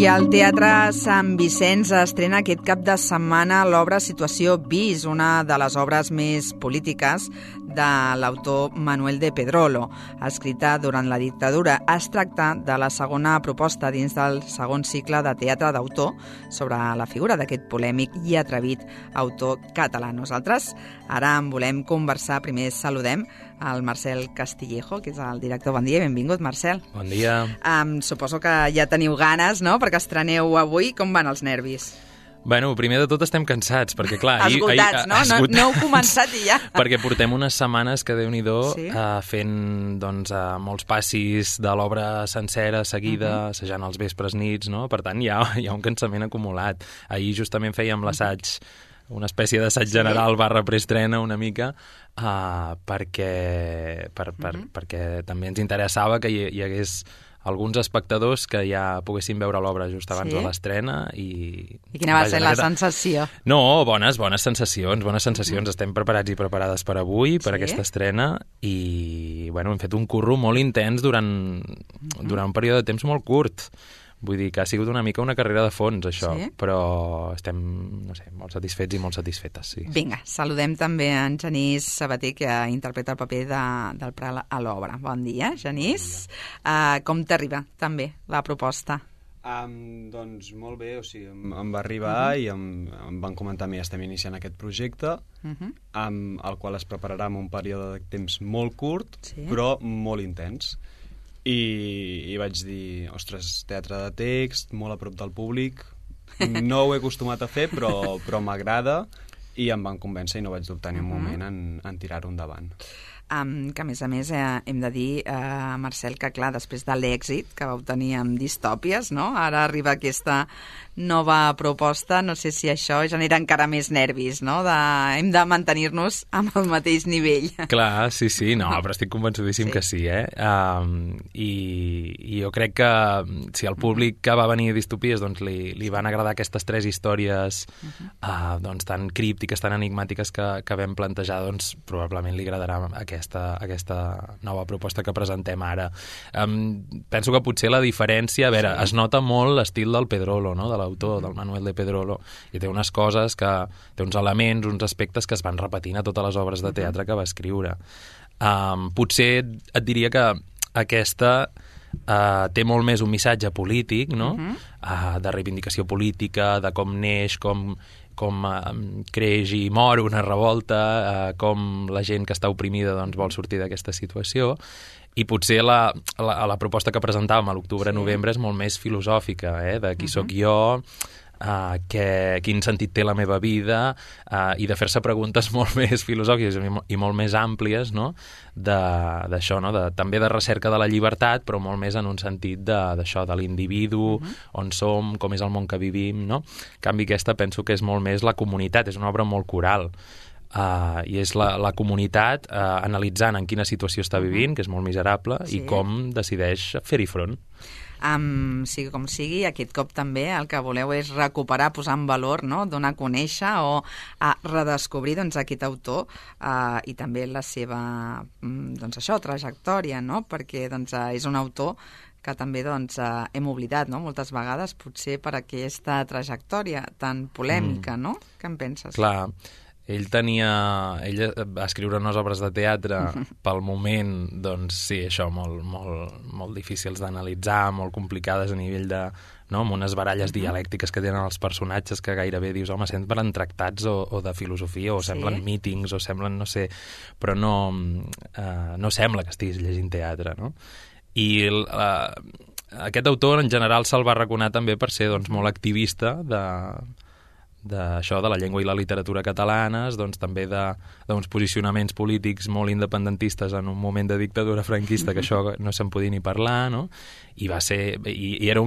I al Teatre Sant Vicenç estrena aquest cap de setmana l'obra Situació bis, una de les obres més polítiques de l'autor Manuel de Pedrolo, escrita durant la dictadura. Es tracta de la segona proposta dins del segon cicle de teatre d'autor sobre la figura d'aquest polèmic i atrevit autor català. Nosaltres ara en volem conversar. Primer saludem al Marcel Castillejo, que és el director. Bon dia i benvingut, Marcel. Bon dia. Suposo que ja teniu ganes, no?, perquè estreneu avui. Com van els nervis? Bueno, primer de tot estem cansats, perquè clar... Esgotats, no? No heu començat i ja. Perquè portem unes setmanes que, Déu-n'hi-do, sí? Fent molts passis de l'obra sencera, seguida, assajant els vespres nits, no? Per tant, hi ha un cansament acumulat. Ahir justament fèiem l'assaig, una espècie d'assaig general / preestrena una mica, perquè també ens interessava que hi hagués alguns espectadors que ja poguessin veure l'obra just abans de l'estrena. I quina va ser la sensació? No, bones sensacions. Estem preparats i preparades per avui, per aquesta estrena, i bueno, hem fet un curro molt intens durant un període de temps molt curt. Vull dir que ha sigut una mica una carrera de fons, això, però estem, no sé, molt satisfets i molt satisfetes, sí. Vinga, saludem també en Genís Sabater, que interpreta el paper del Prat a l'obra. Bon dia, Genís. Bon dia. Com t'arriba, també, la proposta? Doncs molt bé, o sigui, em va arribar i em van comentar a mi, estem iniciant aquest projecte, amb el qual es prepararà en un període de temps molt curt, però molt intens. I vaig dir, ostres, teatre de text, molt a prop del públic, no ho he acostumat a fer, però m'agrada, i em van convèncer i no vaig dubtar ni un moment en tirar-ho endavant. Que a més hem de dir, Marcel, que clar, després de l'èxit que vau tenir amb Distòpies, no? Ara arriba aquesta nova proposta, no sé si això genera encara més nervis, no? Hem de mantenir-nos amb el mateix nivell. Clar, sí, no, però estic convençudíssim que sí, I jo crec que si al públic que va venir a Distopies doncs li van agradar aquestes 3 històries doncs tan críptiques, tan enigmàtiques que vam plantejar, doncs probablement li agradarà aquesta nova proposta que presentem ara. Penso que potser la diferència, a veure, es nota molt l'estil del Pedrolo, no?, de l'autor, del Manuel de Pedrolo, i té unes coses, té uns elements, uns aspectes que es van repetint a totes les obres de teatre que va escriure. Potser et diria que aquesta té molt més un missatge polític, no?, de reivindicació política, de com neix, com creix i mor una revolta, com la gent que està oprimida doncs, vol sortir d'aquesta situació, i potser la proposta que presentàvem a l'octubre-novembre és molt més filosòfica, de qui sóc jo, quin sentit té la meva vida, i de fer-se preguntes molt més filosòfiques i molt més àmplies, no?, d'això, no?, també de recerca de la llibertat, però molt més en un sentit d'això, de l'individu, on som, com és el món que vivim, no? En canvi, aquesta penso que és molt més la comunitat, és una obra molt coral, i és la comunitat analitzant en quina situació està vivint, que és molt miserable, i com decideix fer-hi front. Sigui com sigui, aquest cop també el que voleu és recuperar, posar en valor, no?, donar a conèixer o a redescobrir aquest autor i també la seva trajectòria, no?, perquè és un autor que també hem oblidat, no?, moltes vegades, potser per aquesta trajectòria tan polèmica, no? Què en penses? Clar, ell va escriure unes obres de teatre pel moment, doncs sí, això, molt difícils d'analitzar, molt complicades a nivell de, no?, amb unes baralles dialèctiques que tenen els personatges que gairebé dius, home, semblen tractats o de filosofia, o semblen mítings, o semblen, no sé, però no sembla que estiguis llegint teatre, no? I aquest autor en general se'l va arraconar també per ser doncs, molt activista d'això, de la llengua i la literatura catalanes, doncs també d'uns posicionaments polítics molt independentistes en un moment de dictadura franquista, que això no se'n podia ni parlar, no? I va ser... I era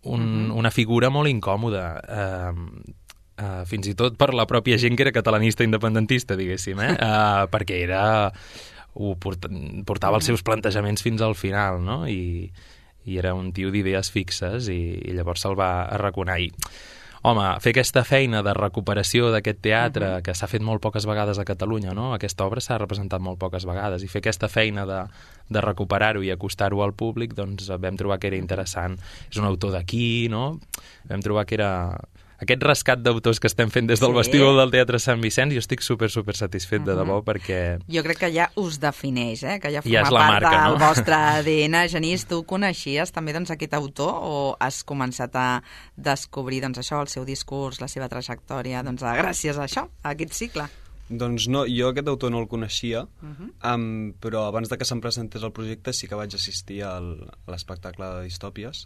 una figura molt incòmoda, fins i tot per la pròpia gent que era catalanista independentista, diguéssim, perquè portava els seus plantejaments fins al final, no? I era un tio d'idees fixes, i llavors se'l va arraconar. home, fer aquesta feina de recuperació d'aquest teatre, que s'ha fet molt poques vegades a Catalunya, no? Aquesta obra s'ha representat molt poques vegades, i fer aquesta feina de recuperar-ho i acostar-ho al públic, doncs vam trobar que era interessant. És un autor d'aquí, no? Vam trobar que era... Aquest rescat d'autors que estem fent des del vestíbul del Teatre Sant Vicenç, jo estic super satisfet de debò, perquè... Jo crec que ja us defineix, que ja forma part del vostre ADN. Genís, tu coneixies també aquest autor o has començat a descobrir el seu discurs, la seva trajectòria, gràcies a això, a aquest cicle? Doncs no, jo aquest autor no el coneixia, però abans de que se'm presentés el projecte sí que vaig assistir a l'espectacle de Distòpies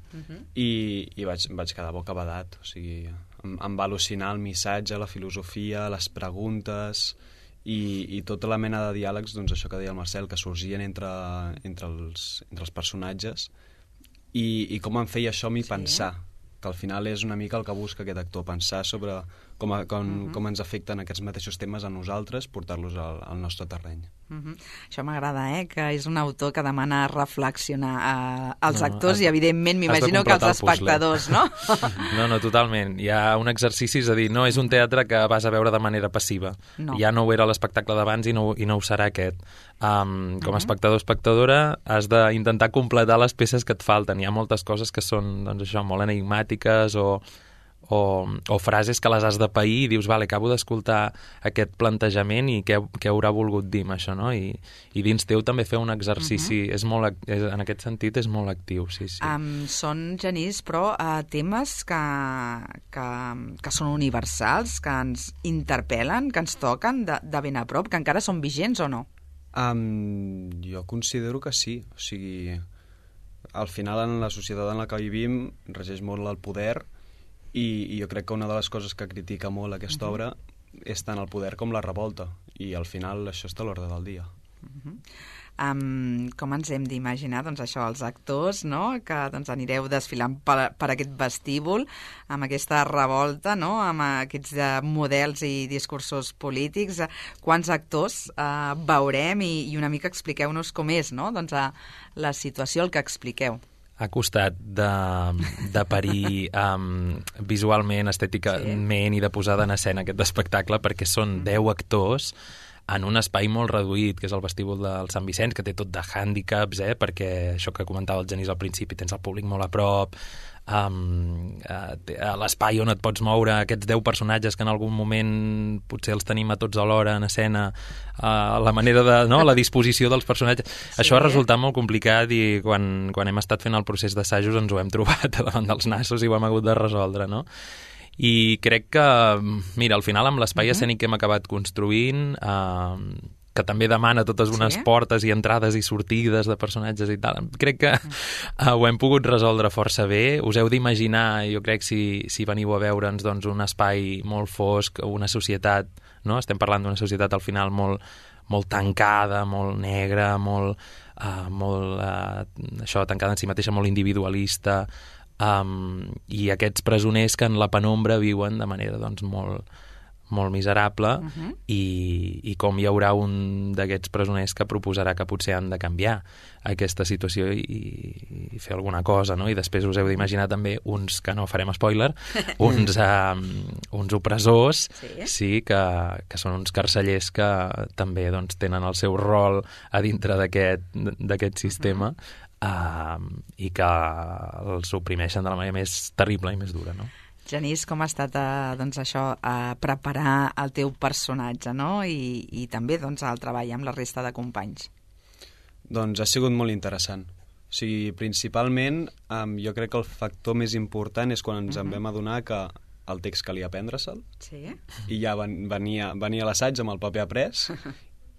i vaig quedar bocabadat, o sigui, em va al·lucinar el missatge, la filosofia, les preguntes i tota la mena de diàlegs, doncs això que deia el Marcel, que sorgien entre els personatges i com em feia això a mi pensar, que al final és una mica el que busca aquest actor, pensar sobre com ens afecten aquests mateixos temes a nosaltres, portar-los al nostre terreny. Això m'agrada, que és un autor que demana reflexionar als actors i, evidentment, m'imagino que als espectadors, no? No, totalment. Hi ha un exercici, és a dir, no és un teatre que vas a veure de manera passiva. Ja no ho era l'espectacle d'abans i no ho serà aquest. Com a espectador o espectadora has d'intentar completar les peces que et falten. Hi ha moltes coses que són, doncs això, molt enigmàtiques o frases que les has de pair i dius, vale, acabo d'escoltar aquest plantejament i què haurà volgut dir amb això, no? I dins teu també fer un exercici, en aquest sentit és molt actiu, sí. Són, Genís, però temes que són universals, que ens interpel·len, que ens toquen de ben a prop, que encara són vigents o no? Jo considero que sí, o sigui, al final en la societat en la que vivim regeix molt el poder i jo crec que una de les coses que critica molt aquesta obra és tant el poder com la revolta, i al final això està a l'ordre del dia. Com ens hem d'imaginar, això, els actors, no?, que anireu desfilant per aquest vestíbul, amb aquesta revolta, no?, amb aquests models i discursos polítics. Quants actors veurem i una mica expliqueu-nos com és, no?, la situació, el que expliqueu. Ha costat de parir visualment, estèticament i de posada en escena aquest espectacle, perquè són 10 actors en un espai molt reduït, que és el vestíbul del Sant Vicenç, que té tot de hàndicaps, perquè això que comentava el Genís al principi, tens el públic molt a prop, l'espai on et pots moure, aquests 10 personatges que en algun moment potser els tenim a tots alhora en escena, la manera de... no? La disposició dels personatges. Sí. Això ha resultat molt complicat i quan hem estat fent el procés d'assajos ens ho hem trobat davant dels nassos i ho hem hagut de resoldre, no? I crec que, mira, al final amb l'espai escènic que hem acabat construint, que també demana totes unes portes i entrades i sortides de personatges i tal, crec que ho hem pogut resoldre força bé. Us heu d'imaginar, jo crec, si veniu a veure'ns, doncs, un espai molt fosc, una societat, no? Estem parlant d'una societat al final molt tancada, molt negra, molt això, tancada en si mateixa, molt individualista, i aquests presoners que en la penombra viuen de manera doncs, molt miserable, i com hi haurà un d'aquests presoners que proposarà que potser han de canviar aquesta situació i fer alguna cosa, no? I després us heu d'imaginar també uns, que no farem spoiler, uns opressors, que són uns carcellers que també doncs, tenen el seu rol a dintre d'aquest sistema, i que els oprimeixen de la manera més terrible i més dura, no? Genís, com ha estat preparar el teu personatge, no? I també el treball amb la resta de companys? Doncs ha sigut molt interessant. O sigui, principalment, jo crec que el factor més important és quan ens en vam adonar que el text calia aprendre-se'l, i ja venia a l'assaig amb el paper après,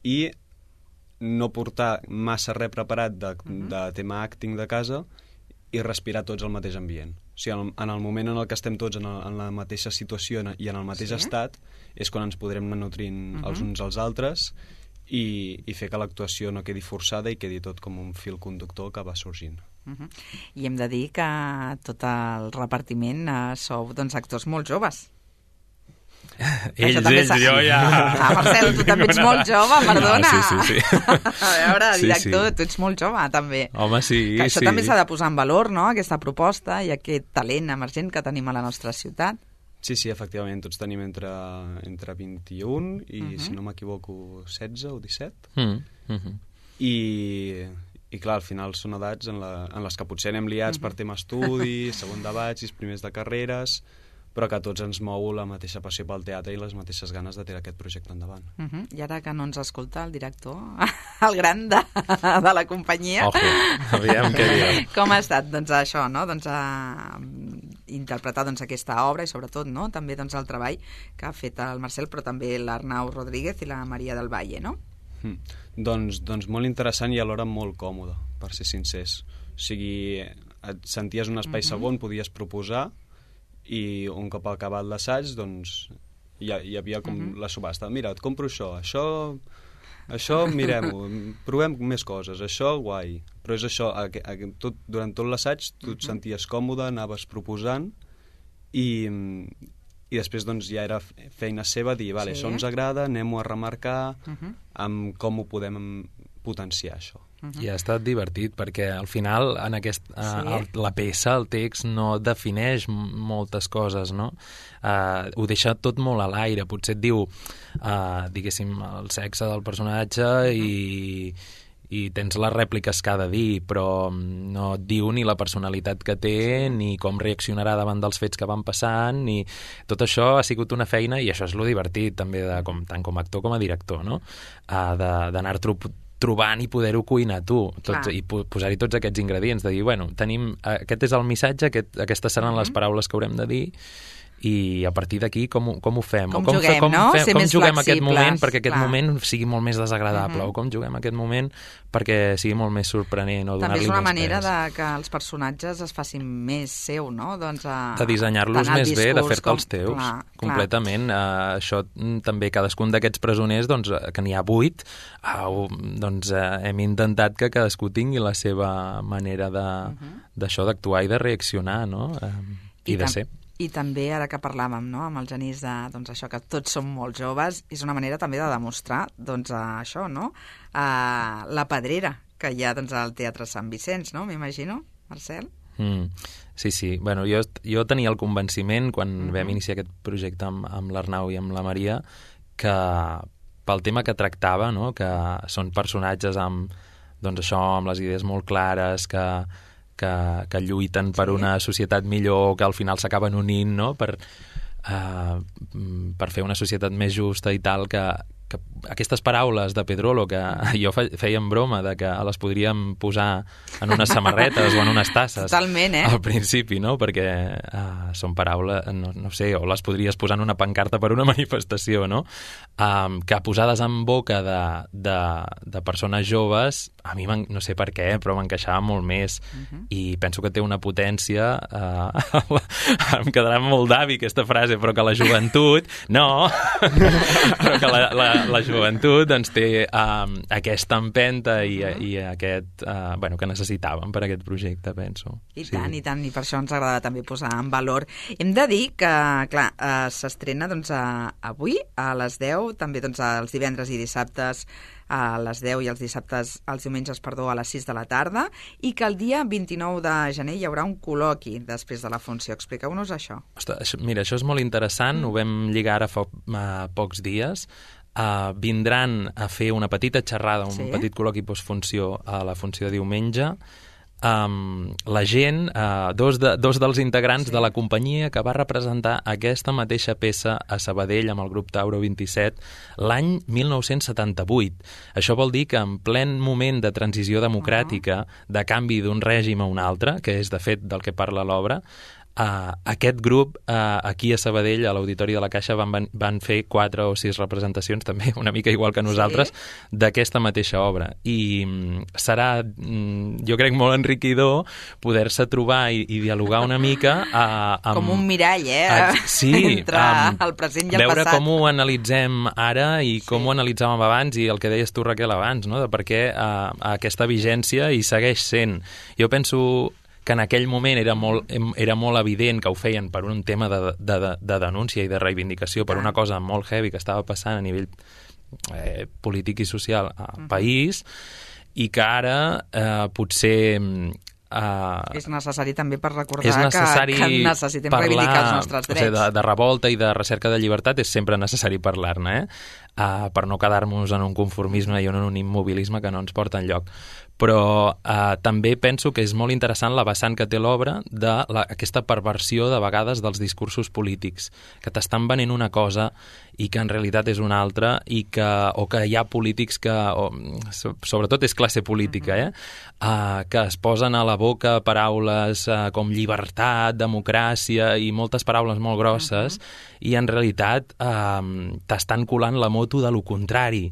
i no portar massa res preparat de tema acting de casa i respirar tots el mateix ambient. O sigui, en el moment en el que estem tots en la mateixa situació i en el mateix estat és quan ens podrem anar nutrint els uns als altres i fer que l'actuació no quedi forçada i quedi tot com un fil conductor que va sorgint. I hem de dir que tot el repartiment sou actors molt joves. Jo ja... Marcel, tu també ets molt jove, perdona. Sí. A veure, director, tu ets molt jove, també. Home, sí. Que això també s'ha de posar en valor, no?, aquesta proposta i aquest talent emergent que tenim a la nostra ciutat. Sí, efectivament, tots tenim entre 21 i, si no m'equivoco, 16 o 17. I clar, al final són edats en les que potser anem liats per tema estudi, segon de batxis, primers de carreres, però que a tots ens mou la mateixa passió pel teatre i les mateixes ganes de tirar aquest projecte endavant. I ara que no ens escolta el director, el gran de la companyia... Ojo, aviam què diu. Com ha estat, doncs, això, no? Doncs, interpretar aquesta obra i, sobretot, no? També el treball que ha fet el Marcel, però també l'Arnau Rodríguez i la Maria del Valle, no? Doncs molt interessant i alhora molt còmode, per ser sincers. O sigui, et senties un espai segon, podies proposar, i un cop acabat l'assaig, doncs, hi havia com la subhasta. Mira, et compro això mirem-ho, provem més coses, això guai. Però és això, durant tot l'assaig tu et senties còmode, anaves proposant i després doncs ja era feina seva dir, vale, això ens agrada, anem-ho a remarcar amb com ho podem potenciar, això. I ha estat divertit, perquè al final en la peça, el text, no defineix moltes coses, no? Ho deixa tot molt a l'aire. Potser et diu, diguéssim, el sexe del personatge i tens les rèpliques que ha de dir, però no et diu ni la personalitat que té, ni com reaccionarà davant dels fets que van passant, ni... Tot això ha sigut una feina, i això és lo divertit, també, tant com a actor com a director, no? D'anar trobant i poder-ho cuinar tu, i posar-hi tots aquests ingredients, de dir, bueno, aquest és el missatge, aquestes seran les paraules que haurem de dir, i a partir d'aquí com ho fem? Com juguem, no? Ser més juguem aquest flexibles, moment perquè aquest moment sigui molt més desagradable, o com juguem aquest moment perquè sigui molt més sorprenent, o donar-li més pes. També és una manera que els personatges es facin més seu, no? Doncs de dissenyar-los més bé, de fer-te'ls teus, completament. Això també, cadascun d'aquests presoners, doncs, que n'hi ha 8, doncs hem intentat que cadascú tingui la seva manera d'això, d'actuar i de reaccionar, no? I de ser. I també, ara que parlàvem, no?, amb el Genís, doncs això, que tots som molt joves, és una manera també de demostrar, doncs, això, no?, la pedrera que hi ha, doncs, al Teatre Sant Vicenç, no?, m'imagino, Marcel? Sí. Bueno, jo tenia el convenciment, quan vam iniciar aquest projecte amb l'Arnau i amb la Maria, que pel tema que tractava, no?, que són personatges amb, doncs això, amb les idees molt clares, que lluiten per una societat millor, que al final s'acaben unint, no?, per fer una societat més justa i tal, que aquestes paraules de Pedrolo, que jo feia en broma de que les podríem posar en unes samarretes o en unes tasses. Totalment, al principi, no?, perquè són paraules, no sé, o les podries posar en una pancarta per una manifestació, no?, que posades en boca de persones joves, a mi, no sé per què, però m'encaixava molt més, i penso que té una potència, em quedarà molt d'avi aquesta frase, però que la joventut, no, però que la joventut doncs té aquesta empenta i aquest, bueno, que necessitàvem per aquest projecte, penso. I tant, i tant, i per això ens agrada també posar en valor. Hem de dir que, clar, s'estrena doncs avui a les 10, també doncs els divendres i dissabtes a les 10 i els diumenges, a les 6 de la tarda, i que el dia 29 de gener hi haurà un col·loqui després de la funció. Expliqueu-nos això. Ostres, mira, això és molt interessant, ho vam lligar ara fa pocs dies. Vindran a fer una petita xerrada, un petit col·loqui postfunció a la funció de diumenge. La gent, dos dels integrants de la companyia que va representar aquesta mateixa peça a Sabadell amb el grup Tauro 27 l'any 1978. Això vol dir que en plen moment de transició democràtica, de canvi d'un règim a un altre, que és de fet del que parla l'obra, aquest grup aquí a Sabadell, a l'Auditori de la Caixa, van fer 4 o 6 representacions, també una mica igual que nosaltres, d'aquesta mateixa obra. I serà, jo crec, molt enriquidor poder-se trobar i dialogar una mica com un mirall, sí, entre el present i el veure passat. Com ho analitzem ara i com ho analitzàvem abans, i el que deies tu, Raquel, abans, no?, de per què aquesta vigència hi segueix sent. Jo penso que en aquell moment era molt evident que ho feien per un tema de denúncia i de reivindicació, per una cosa molt heavy que estava passant a nivell polític i social al país, i que ara potser És necessari també per recordar que necessitem reivindicar els nostres drets. O sigui, de revolta i de recerca de llibertat és sempre necessari parlar-ne, per no quedar-nos en un conformisme i en un immobilisme que no ens porta enlloc. Però també penso que és molt interessant la vessant que té l'obra d'aquesta perversió de vegades dels discursos polítics, que t'estan venent una cosa i que en realitat és una altra, o que hi ha polítics que, sobretot és classe política, que es posen a la boca paraules com llibertat, democràcia i moltes paraules molt grosses, i en realitat t'estan colant la moto de lo contrari.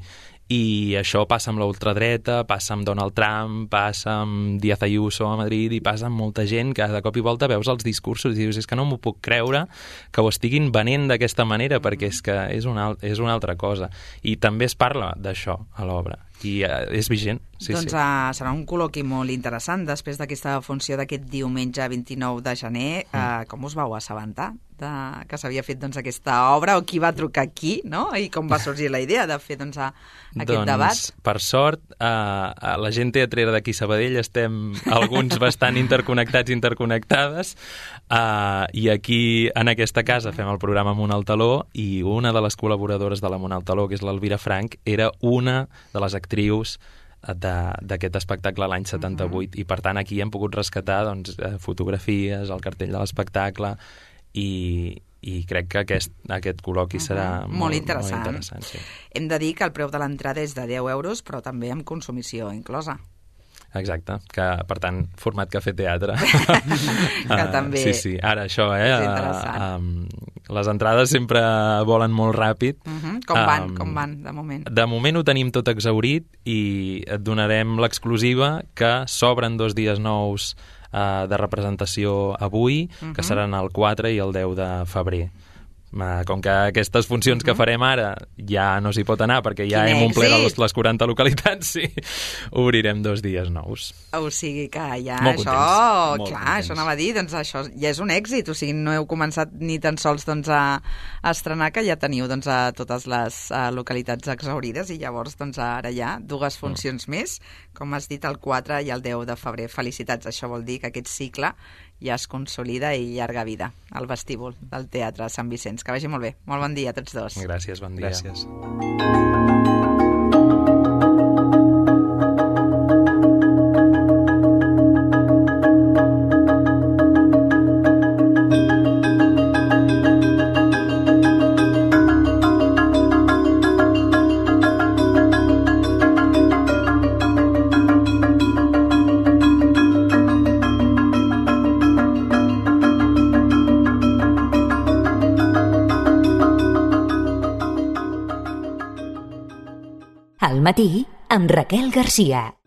I això passa amb la ultradreta, passa amb Donald Trump, passa amb Díaz Ayuso a Madrid i passa amb molta gent que de cop i volta veus els discursos i dius, és que no m'ho puc creure que ho estiguin venent d'aquesta manera, perquè és que és una altra cosa. I també es parla d'això a l'obra. I és vigent. Doncs serà un col·loqui molt interessant després d'aquesta funció d'aquest diumenge 29 de gener. Com us vau assabentar que s'havia fet aquesta obra, o qui va trucar aquí, no? I com va sorgir la idea de fer aquest debat? Per sort, la gent teatrera d'aquí Sabadell estem alguns bastant interconnectades, i aquí en aquesta casa fem el programa Amunt al Taló, i una de les col·laboradores de l'Amunt al Taló, que és l'Elvira Frank, era una de les actrius d'aquest espectacle l'any 78, i per tant aquí hem pogut rescatar fotografies, el cartell de l'espectacle, i crec que aquest col·loqui serà molt interessant. Sí. Hem de dir que el preu de l'entrada és de 10 euros, però també amb consumició inclosa. Exacte, que per tant, format cafè teatre. Que també sí. Ara això, és interessant. Les entrades sempre volen molt ràpid. Com van, de moment? De moment ho tenim tot exhaurit i et donarem l'exclusiva que s'obren 2 dies nous de representació avui, que seran el 4 i el 10 de febrer. Com que aquestes funcions que farem ara ja no s'hi pot anar perquè ja hem omplert les 40 localitats, obrirem 2 dies nous. O sigui que ja molt això, contents. Clar, això anava a dir, doncs això ja és un èxit, o sigui, no heu començat ni tan sols a estrenar, que ja teniu a totes les localitats exhaurides, i llavors ara hi ha 2 funcions més, com has dit, el 4 i el 10 de febrer. Felicitats, això vol dir que aquest cicle ja es consolida i llarga vida al vestíbul del Teatre Sant Vicenç. Que vagi molt bé. Molt bon dia a tots dos. Gràcies, bon dia. Gràcies. Al matí amb Raquel Garcia.